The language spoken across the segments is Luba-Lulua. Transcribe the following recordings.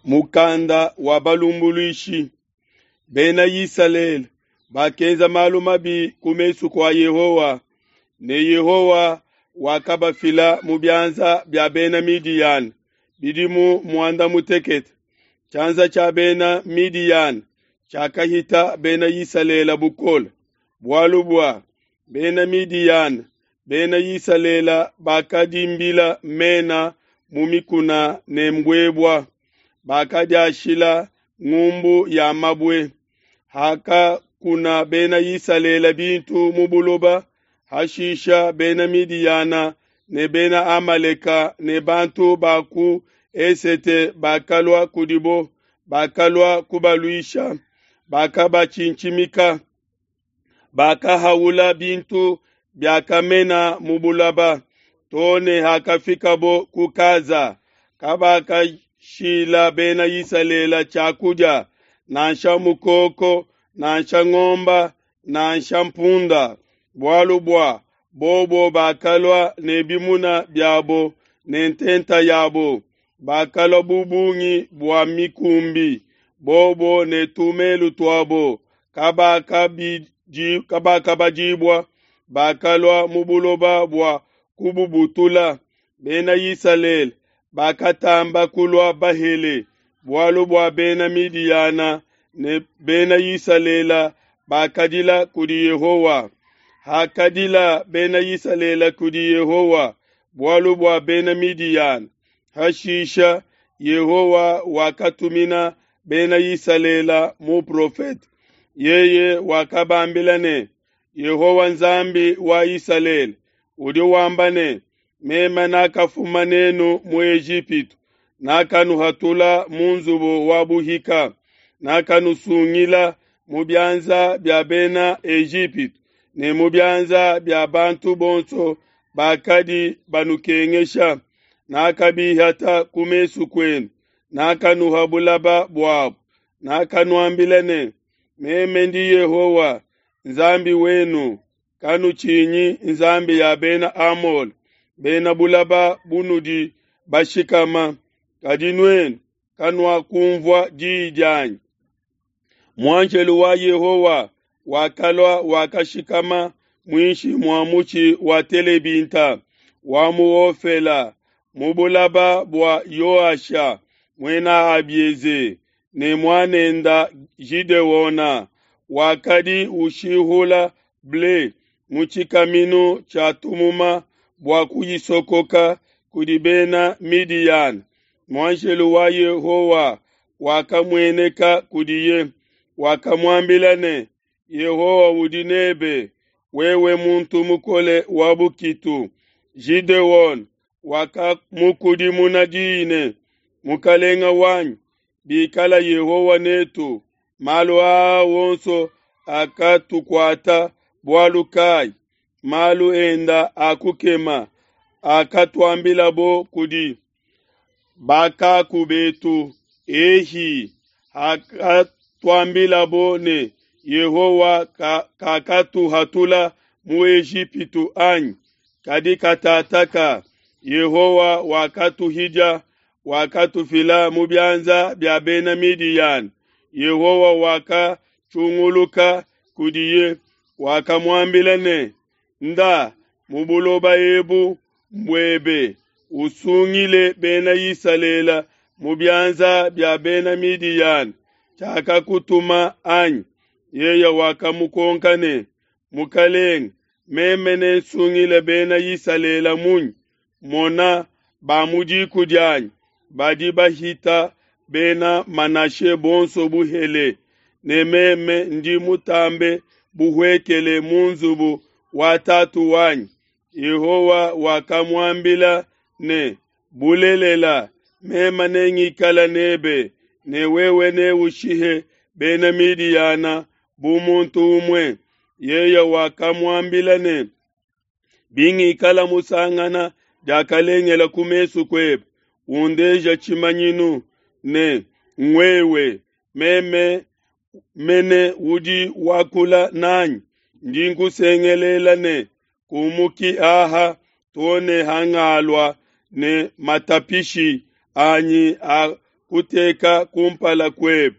Mukanda wa balumbuluishi. Bena Isalele bakenza malu mabi ku mesu kua Yehowa, ne Yehowa wakabafila mu bianza bia bena Midiyana bidimu muanda mutekete. Tshianza tshia bena Midiyana tshiakahita bena Isalele bukole, bualu bua bena Midiyana, bena Isalele bakadimbila mena mu mikuna ne mbuebua, bakadiashila ngumbu ya mabue. Hakakuna bena Isalele bintu mu buloba, hashisha bena Midiyana ne bena Amaleka ne bantu ba ku esete bakalua kudibo, bakalua kubaluisha, bakabatshintshimika, bakahaula bintu biakamena mu buloba, too ne hakafikabo ku Kaza. Kabakashila bena Isalele tshiakudia, nansha mukoko, nansha ngomba, nansha mpunda, bualu bua bobo bakalua ne bimuna biabo ne ntenta yabo, bakalua bu bungi bua mikumbi, bobo ne tumelu tuabo kabakabadibua, bakalua mu buloba bua kububutula. Bena Isalele bakatamba kulua bahele, bualu bua bena Midiyana ne bena Isalele bakadila kudi Yehowa. Hakadila bena Isalele kudi Yehowa bualu bua bena Midiyana, hashisha Yehowa wakatumina bena Isalele muprofete. Yeye wakabambila ne, Yehowa Nzambi wa Isalele udi wamba ne, meme nakafuma nenu mu Ejipitu, nakanuhatula mu nzubu wa buhika, nakanusungila mu bianza bia bena Ejipitu ne mu bianza bia bantu bonso bakadi banukengesha, nakabihata ku mesu kuenu, nakanuha bulaba buabo, nakanuambila ne, meme ndi Yehowa Nzambi wenu, kanutshinyi nzambi ya bena Amole, bena bulaba bunudi bashikama, kadi nuenu kanuakunvua diyi dianyi. Muanjelo wa Yehowa wakalua wakashikama muinshi mua mutshi wa telebinta wa mu Ofela mu bulaba bua Yoasha muena Abieze ne muanenda Gideona wakadi ushihula ble mu tshikaminu tshia tumuma bua kuyisokoka kudi bena Midiyana. Muanjelo wa Yehowa wakamueneka kudiye, wakamuambila ne, Yehowa udi nebe, wewe muntu mukole wa bukitu. Gideon wakamukudimuna diyi ne, Mukalenga wanyi, bikala Yehowa netu, malu aa wonso akatukuata bualu kayi? Malu enda akukema akatuambilabo kudi bakaku betu, ehi akatuambilabo ne, Yehowa kakatuhatula mu Ejipitu anyi? Kadi katataka Yehowa wakatuhidia, wakatufila mu bianza bia bena Midiyana. Yehowa wakatshunguluka kudiye, wakamuambila ne, Nda mu buloba ebu mbuebe, usungile bena Isalele mu bianza bia bena Midiyana. Tshiakakutuma anyi? Yeye wakamukonka ne, Mukalenge, meme nensungile bena Isalele munyi? Mona, ba mu diku dianyi badi bahita bena Manashe bonso buhele, ne meme ndi mutambe buhuekele mu nzubu wa tatu wanyi. Yehowa wakamuambila ne, Bulelela, meme nengikale nebe, ne wewe neushihe bena Midiyana bu muntu umue. Yeye wakamuambila ne, Bingikala musangana diakalengela ku mesu kuebe, undeja tshimanyinu ne ngwewe, meme mene udi wakula nanyi, ndi nkusengelela ne, kumuki aha too ne hangalua ne matapishi anyi a kuteka kumpala kuebe.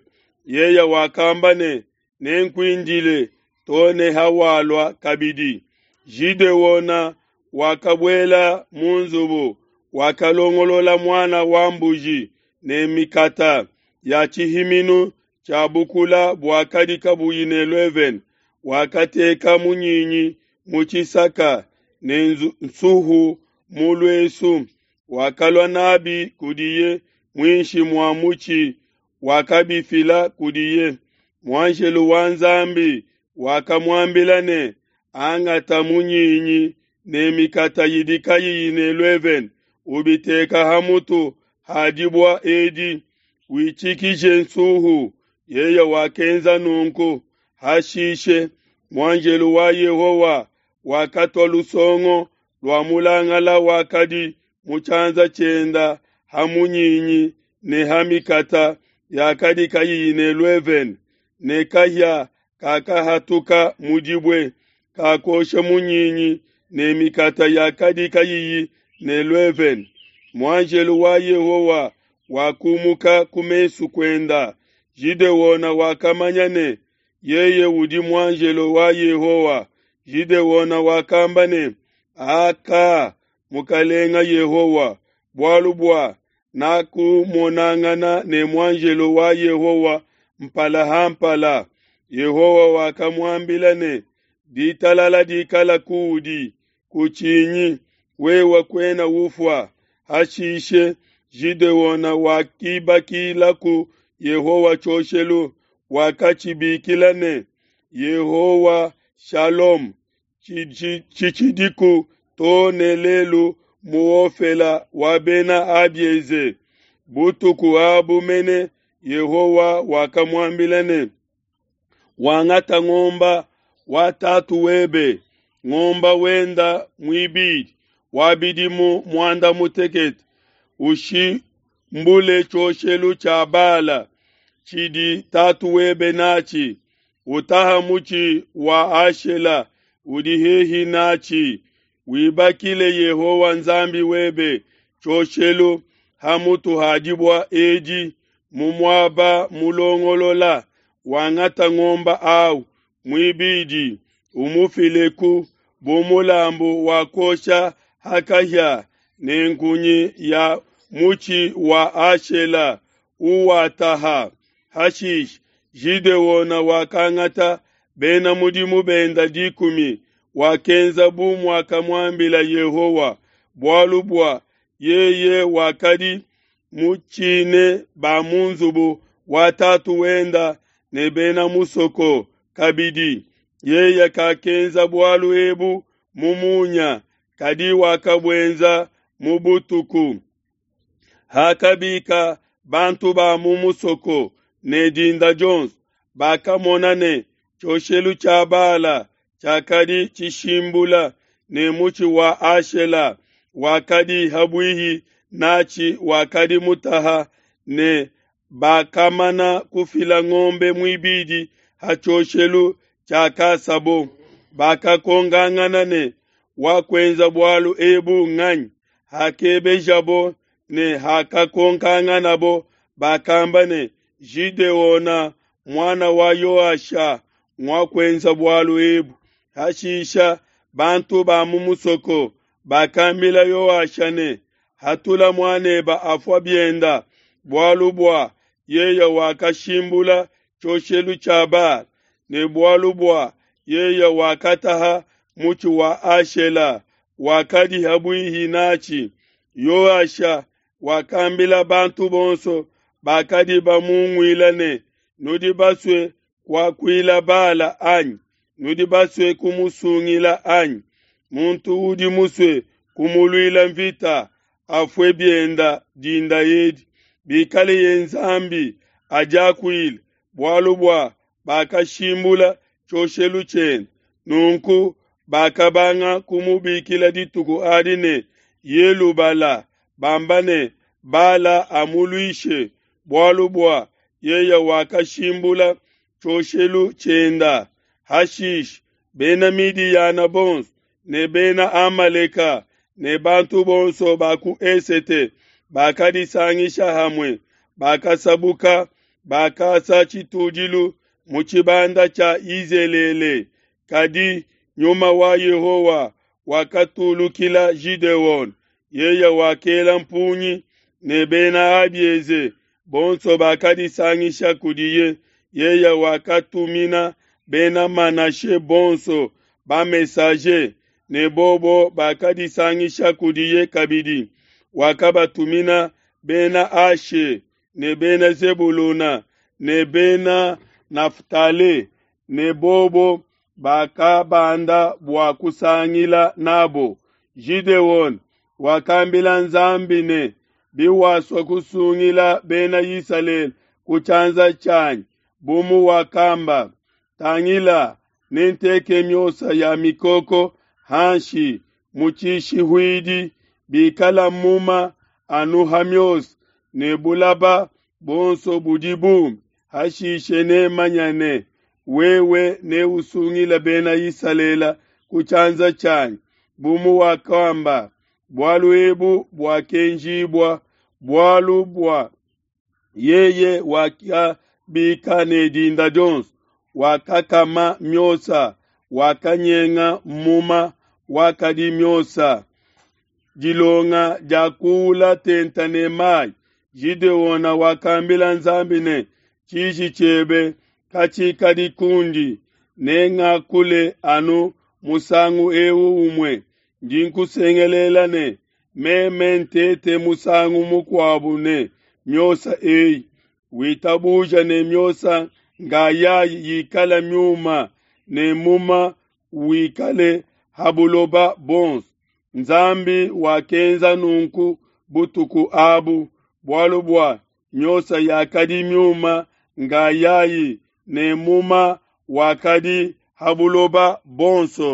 Yeye wakamba ne, Nenkuindile to ne hawalua kabidi. Gideona wakabuela mu nzubu, wakalongolola muana wa mbuji ne mikata ya tshihiminu tshia bukula buakadi kabuyi ne luevene, wakateka munyinyi mu tshisaka ne nsuhu mu luesu, wakalua n'abi kudiye muinshi mua mutshi, wakabifila kudiye. Muanjelo wa Nzambi wakamuambila ne, Angata munyinyi ne mikata idi kayiyi ne luevene, ubiteka ha mutu ha dibue edi, witshikije nsuhu. Yeye wakenza nunku. Hashishe muanjelo wa Yehowa wakatua lusongo lua mulangala wakadi mu tshianza tshienda ha munyinyi ne ha mikata yakadi kayiyi ne luevene, ne kahia kakahatuka mu dibue, kakosha munyinyi ne mikata yakadi kayiyi ne luevene. Muanjelo wa Yehowa wakumuka ku mesu kuenda. Gideona wakamanya ne, Yeye udi muanjelo wa Yehowa. Gideona wakamba ne, Aka, Mukalenga Yehowa, bualu bua nakumonangana ne muanjelo wa Yehowa mpala ha mpala. Yehowa wakamuambila ne, Ditalala dikala kuudi, kutshinyi, wewe kuena ufua. Hashishe Gideona wakibakilaku Yehowa tshioshelu, wakatshibikila ne, Yehowa Shalom, tshitshidiku to ne lelu mu Ofela wa Bena Abieze. Butuku abu mene Yehowa wakamuambila ne, Wangata ngomba wa tatu webe, ngomba wenda muibidi wa bidimu muanda mutekete, ushimbule tshioshelu tshia Bala tshidi tatu webe natshi, utaha mutshi wa Ashela udi hehi natshi, wibakile Yehowa Nzambi webe tshioshelu ha mutu ha dibue edi mu muaba mulongolola. Wangata ngomba awu muibidi, umufileku bu mulambu wa kuosha ha kahia ne nkunyi ya mutshi wa Ashela uwataha. Hashishe Gideona wakangata bena mudimu benda 10, wakenza bu muakamuambila Yehowa, bualu bua yeye wakadi mutshine ba mu nzubu wa tatu wenda ne bena musoko kabidi. Yeye kakenza bualu ebu mu munya, kadi wakabuenza mu butuku. Hakabika bantu ba mu musoko ne dinda dionso, bakamona ne tshioshelu tshia Bala tshiakadi tshishimbula, ne mutshi wa Ashela wakadi habuihi natshi wakadi mutaha, ne bakamana kufila ngombe muibidi ha tshioshelu tshiakasabo. Bakakongangana ne, Wakuenza bualu ebu nganyi? Hakebejabo ne hakakonkanganabo, bakamba ne, Gideona muana wa Yoasha nguakuenza bualu ebu. Hashisha bantu ba mu musoko bakambila Yoasha ne, Hatula muaneba afua bienda, bualu bua yeye wakashimbula tshioshelu tshia Bala, ne bualu bua yeye wakataha mutshi wa Ashela wakadi habuihi natshi. Yoasha wakambila bantu bonso bakadi bamunguila ne, Nudi basue kuakuila Bala anyi? Nudi basue kumusungila anyi? Muntu udi musue kumuluila mvita afue bienda dinda edi. Bikaleye Nzambi adiakuile, bualu bua bakashimbula tshioshelu tshiende. Nunku bakabanga kumubikila dituku adi ne, Yelubala, bamba ne, Bala amuluishe, bualu bua yeye wakashimbula tshioshelu tshienda. Hashishe bena Midiyana bonso ne bena Amaleka ne bantu bonso ba ku esete bakadisangisha hamue, bakasabuka, bakasa tshitudilu mu tshibanda tshia Yizelele. Kadi Nyuma wa Yehowa wakatulukila Gideone, yeye wakela mpungi ne bena Abieze bonso bakadisangisha kudiye. Yeye wakatumina bena Manashe bonso ba-messager, ne bobo bakadisangisha kudiye kabidi. Wakabatumina bena Ashe ne bena Zebuluna ne bena Naftale, ne bobo bakabanda bua kusangila nabo. Gideone wakambila Nzambi ne, Biwasua kusungila bena Isalele ku tshianza tshianyi, bu muwakamba, tangila, nenteke miosa ya mikoko hanshi mu tshishihuidi, bikala muma anu ha miosa, ne bulaba buonso budi bume, hashishe nemanye ne, Wewe neusungile bena Isalele ku tshianza tshianyi, bu muwakamba. Bualu ebu buakenjibua bualu bua yeye wakabika ne dinda dionso, wakakama miosa, wakanyenga muma wakadi miosa. Dilonga dia kuula tenta ne mayi. Gideona wakambila Nzambi ne, tshiji tshiebe katshikadi kundi, nengakule anu musangu eu umue. Ndi nkusengelela ne, meme ntete musangu mukuabu ne miosa eyi, witabuja ne miosa ngayayi yikala miuma ne muma wikale ha buloba buonso. Nzambi wakenza nunku butuku abu, bualu bua miosa yakadi miuma ngayayi ne muma wakadi ha buloba buonso.